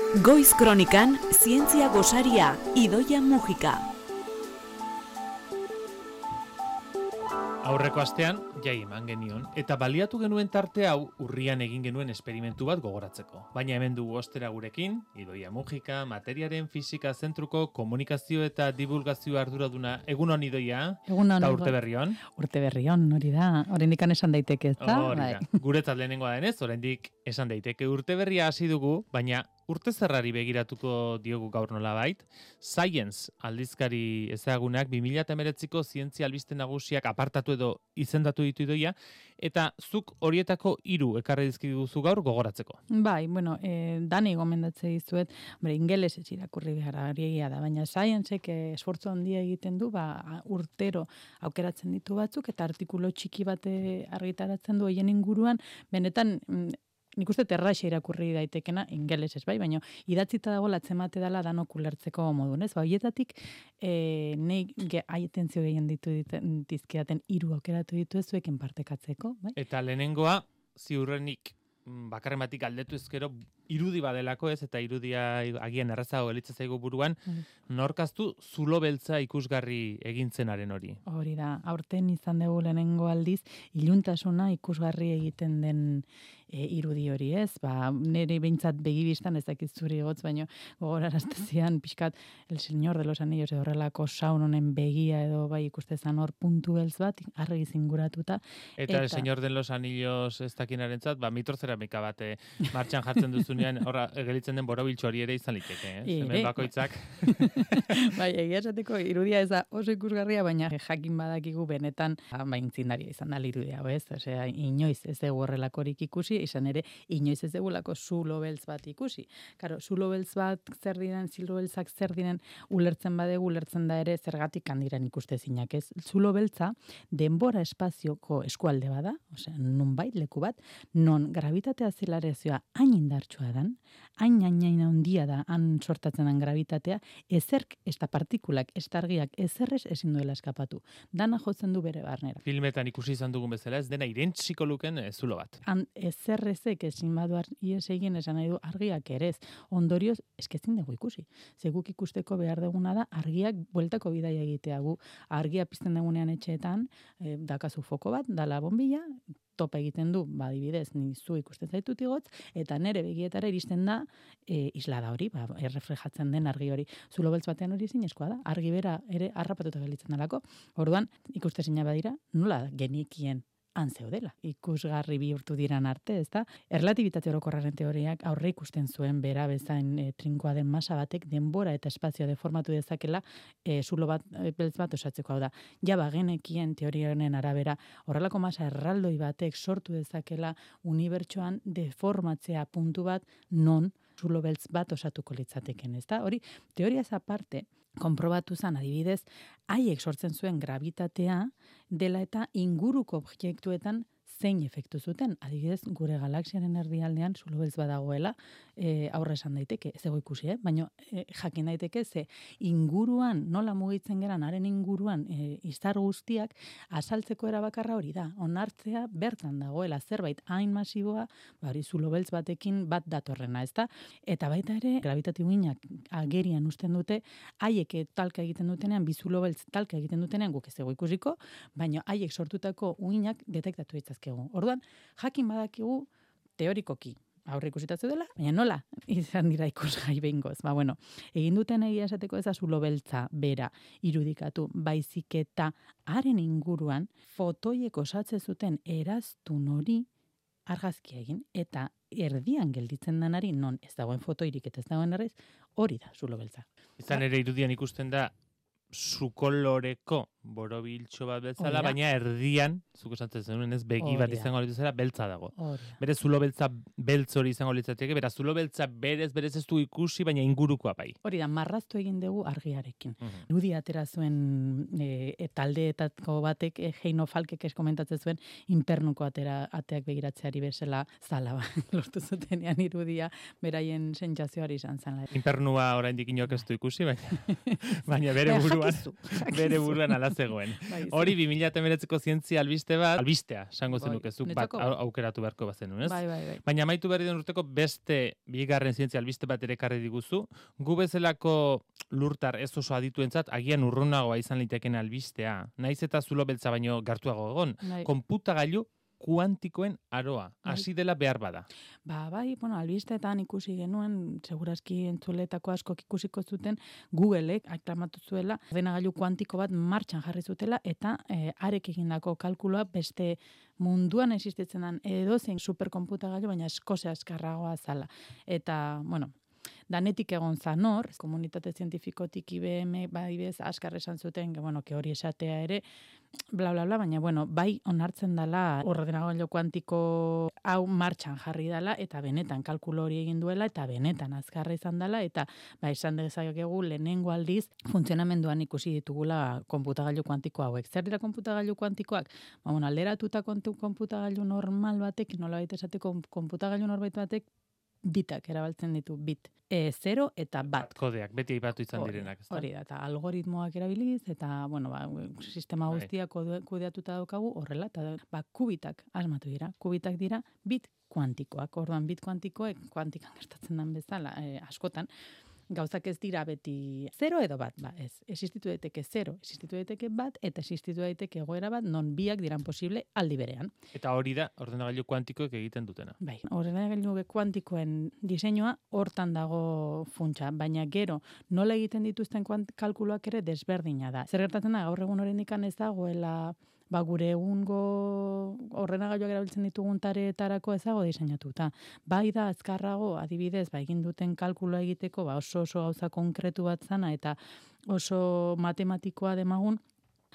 Goiz Kronikan, zientzia gosaria, Idoia Mujika. Aurreko astean, jai eman genion, eta baliatu genuen tarte hau urrian egin genuen esperimentu bat gogoratzeko. Baina hemen dugu ostera gurekin, Idoia Mujika, materiaren fisika zentruko komunikazio eta divulgazio arduraduna. Egunon, Idoia? Egunon. Eta urte berrion? Urte berrion, hori da. Oraindik esan daiteke, ez da? Hori da. Guretzat lehenengoa denez, oraindik esan daiteke. Urte berria hasi dugu, baina urte zerrari begiratuko diogu gaur nolabait. Science aldizkari ezagunak 2019ko zientzia albiste nagusiak apartatu edo izendatu ditu Idoia, eta zuk horietako 3 ekarri dizkiguzu gaur gogoratzeko. Bai, bueno, dani gomendatze dizuet, ingelesez irakurri behar egia da, baina Scienceek esfortzu handia egiten du, urtero aukeratzen ditu batzuk, eta artikulu txiki bat argitaratzen du hoien inguruan, benetan nik uste erraxa irakurri daitekena, ingelesez bai, baina idatzita dago latzemate dela danok ulertzeko modunez. Horietatik, nahi aitentzio gehien dizkidaten 3 aukeratu ditu zuekin partekatzeko. Bai? Eta lehenengoa, ziurrenik bakarren batik aldetu ezkero, irudi badelako ez, eta irudia agian errazago gelitza zaigu buruan, norkaztu zulo beltza ikusgarri egintzenaren hori. Hori da, aurten izan dugu lehenengo aldiz, iluntasuna ikusgarri egiten den irudi hori ez, nire behintzat begibistan ez dakit zuri gotz, baina gogoraraztezian pixkat El Señor de los Anillos edo horrelako Sauronen begia edo bai ikustezan hor puntu beltz bat, argi zinguratuta. Eta El Señor de los Anillos ez dakinarentzat, mitrozeramika bat martxan jartzen duzunean, horra gelitzen den borobiltxo hori ere izan liteke, hemen bakoitzak. Bai, egia esateko irudia ez da oso ikusgarria, baina jakin badakigu benetan intzindaria izan da irudia, ez? Osea, inoiz ez dugu horrelakorik ikusi, izan ere, inoiz ez dugulako zulo beltz bat ikusi. Karo, zulo beltz bat zer diren, zulo beltzak zer diren, ulertzen badegu, ulertzen da ere zergatik handiran ikustezinak, ez? Zulo beltza, denbora espazioko eskualde bada, osea, nonbait leku bat, non gravitatea zelarazioa hain indartsua dan, hain handia da, han sortatzen den gravitatea, ezerk, ez da partikulak, ez da argiak, ezerrez ezin duela eskapatu. Dana jotzen du bere barnera. Filmetan ikusi izan dugun bezala, ez dena irentsiko luken zulo bat. Ezerrezek ezin badu ies egin esan nahi du argiak ere ez. Ondorioz, eskezin dugu ikusi. Zeguk ikusteko behar duguna da, argiak bueltako bidaia egitea gu. Argia pizten dugunean etxeetan, dakazu foko bat, dala bombilla, topa egiten du, adibidez, nizu ikusten zaitut igotz, eta nere begietara iristen da islada hori, erreflejatzen den argi hori. Zulo beltz batean hori zinezkoa da, argi bera ere harrapatuta gelitzen dalako. Orduan, ikustezina badira, nola genekien han zeudela. Ikusgarri bihurtu diran arte, ezta? Erlatibitate orokorraren teoriak aurre ikusten zuen bera bezain trinkoa den masa batek denbora eta espazioa deformatu dezakela zulo bat beltz bat osatzeko. Hau da, jaba genekien teoria honen arabera horrelako masa erraldoi batek sortu dezakela unibertsoan deformatzea puntu bat non zulo beltz bat osatuko litzateken, ezta? Hori, teoria ez aparte, konprobatu zen, adibidez, haiek sortzen zuen gravitatea dela eta inguruko objektuetan zein efektu zuten. Adibidez, gure galaxiaren erdialdean zulo beltz badagoela, aurre esan daiteke, ez ego ikusi, baina jakin daiteke ze inguruan, nola mugitzen geran, haren inguruan izar guztiak, azaltzeko erabakarra hori da. Onartzea bertan dagoela zerbait hain masiboa, hori zulo beltz batekin bat datorrena, ezta? Eta baita ere, gravitatiboinak agerian usten dute, haiek talka egiten dutenean, bi zulo beltz talka egiten dutenean, guk ez ego ikusiko, baina haiek sortutako uinak detektatu ditzazkegu. Orduan, jakin badakigu teorikoki aurre ikusitatu dela, baina nola izan dira ikusgai behingoz. Egin duten egia esateko ez da zulo beltza bera irudikatu, baizik eta haren inguruan fotoiek osatze zuten eraztun hori argazkia egin, eta erdian gelditzen denari, non ez dagoen fotoirik eta ez dagoen arrez, hori da zulo beltza. Izan ere irudian ikusten da zukoloreko borobiltxo bat bezala, baina erdian, zuko esatzen zenuen ez begi bat izango litzatela, beltza dago. Bere zulo beltza beltz hori izango litzateke, bera zulo beltza berez ez du ikusi, baina ingurukoa bai. Hori da, marraztu egin dugu argiarekin. Irudi atera zuen taldeetako batek, Heino Falkek komentatzen zuen, inpernuko ateak begiratzeari bezala zala lortu zutenean irudia, beraien sentsazioari izan zen. Inpernua oraindik inok ez du ikusi, baina bere buruan ala bazegoen. Bai, Hori 2019ko zientzia albistea, esango Bai, zenuke, zuk bat niretzako bai. aukeratu beharko bazenun, ez? Bai. Baina amaitu berri den urteko beste bigarren zientzia albiste bat ere ekarri diguzu. Gu bezalako lurtar ez oso adituentzat agian urrunagoa izan liteken albistea. Naiz eta zulo beltza baino gertuago egon. Bai. Konputagailu kuantikoen aroa. Bai. Hasi dela behar bada. Bai, albisteetan ikusi genuen, segurazki entzuletako askok ikusiko zuten, Googleek aklamatu zuela, ordenagailu kuantiko bat martxan jarri zutela, eta arek egindako kalkulua beste munduan existitzen den edozein superkonputagailu, baina eskose askarragoa zala. Eta, danetik egon zanor, komunitate zientifikotik IBM, bez, askar esan zuten, que hori esatea ere, bla, baina, bai onartzen dela ordenagailu kuantiko hau martxan jarri dela, eta benetan kalkulo hori egin duela, eta benetan azkarra izan dela, eta esan dezakegu lehenengo aldiz funtzionamenduan ikusi ditugula konputagailu kuantiko hauek. Zer dira konputagailu kuantikoak? Alderatuta konputagailu normal batek, nolabait esateko konputagailu norbait batek, bitak erabiltzen ditu, bit. 0 eta 1. Kodeak, beti aipatu izan direnak. Hori da, eta algoritmoak erabiliz, eta, sistema guztia kudeatuta daukagu horrela, eta kubitak asmatu dira. Kubitak dira bit kuantikoak. Orduan, bit kuantikoek, kuantikan gertatzen den bezala, askotan, gauzak ez dira beti 0 edo 1, ez. Existitu daiteke 0, existitu daiteke 1, eta existitu daiteke egoera bat non biak diran posible aldi berean. Eta hori da ordenagailu kuantikoek egiten dutena. Bai, ordenagailu kuantikoen diseinua hortan dago funtsa, baina gero nola egiten dituzten kalkuluak ere desberdina da. Zer gertatzen da, gaur egun oraindik ez dagoela gure egungo ordenagailuak erabiltzen ditugun tareetarako ez dago diseinatuta. Bai da azkarrago, adibidez, egin duten kalkulua egiteko, oso gauza konkretu bat zana eta oso matematikoa demagun,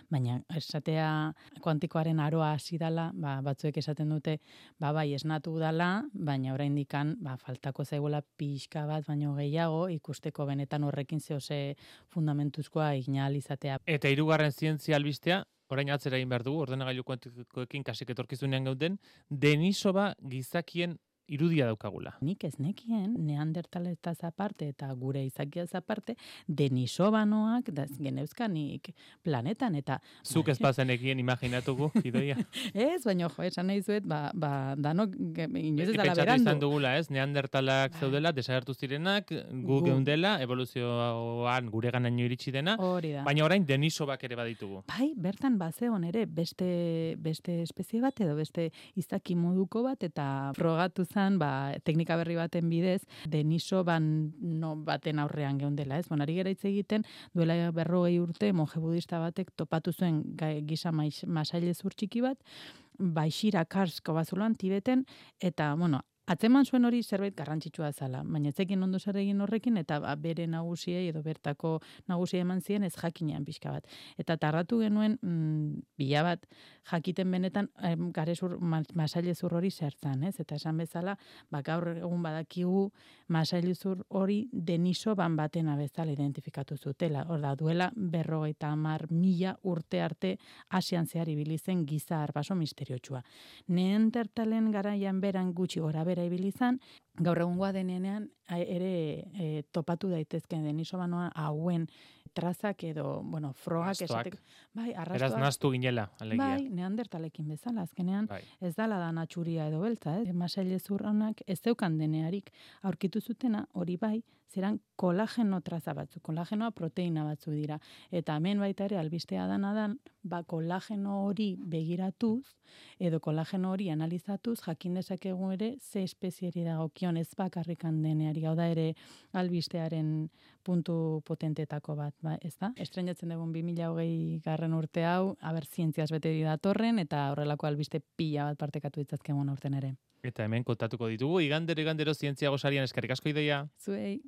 baina esatea kuantikoaren aroa hasi dala, batzuek esaten dute, bai esnatu dala, baina oraindikan faltako zaigula pixka bat baino gehiago ikusteko benetan horrekin zehose fundamentuzkoa izatea. Eta hirugarren zientzia albistea, orain atzera egin behar dugu, ordenagailu kuantikoekin kasik etorkizunean gauden, Denisova gizakien irudia daukagula. Nik ez nekien, neandertaletaz aparte eta gure izakiaz aparte, Denisovanoak geneuzkanik planetan, eta... Zuk ez bazenekien imaginatugu, Idoia? Ez, baina esan nahi zuet, danok inoiz ez dala Pentsatu berandu. izan dugula, ez? Neandertalak zeudela, desagertu zirenak, gu geundela, evoluzioan gure ganaino iritsi dena, hori da. baina orain Denisovak ere baditugu. Bai, bertan bazeon ere beste espezie bat edo beste izaki moduko bat, eta frogatu teknika berri baten bidez, Denisovan baten aurrean geundela, ez? Ari gera hitz egiten, duela 40 urte, monje budista batek topatu zuen gisa masailezur txiki bat, Baixira Karsko bazuloan Tibeten, eta, atzeman zuen hori zerbait garrantzitsua zala, baina etzekin ondo zer egin horrekin, eta bere nagusiei edo bertako nagusiei eman zien ez jakinean pixka bat. Eta tarratu genuen bila bat jakiten benetan masailezur hori zertzan, ez? Eta esan bezala, gaur egun badakigu masailezur hori Denisovan batena bezala identifikatu zutela. Hor da, duela 50.000 urte arte Asian zehar ibili zen giza arbaso misteriotsua. Neandertalen garaian beran gutxi gora bera ibili izan, gaur egungoa denean ere topatu daitezke Denisovanoa hauen trazak edo, frogak esateko. Bai, arrastoak. Eraz naztu ginela, alegia. Bai, neandertalekin bezala, azkenean ez dala da natxuria edo beltza, masailezur honak ez zeukan denearik aurkitu zutena, hori bai, zeran kolageno traza batzu, kolagenoa proteina batzu dira. Eta hemen baita ere albistea dan, kolageno hori begiratuz, edo kolageno hori analizatuz, jakin dezakegu ere ze espezieri dagokion ez bakarrikan deneari, hau da ere albistearen puntu potentetako bat, ez da? Estreinatzen dugun 2020 garren urte hau, zientziaz bete datorren, eta horrelako albiste pila bat partekatu ditzazkegun aurten ere. Eta hemen kontatuko ditugu, igandero zientzia gosarian eskerrik asko Idoia. Zuei.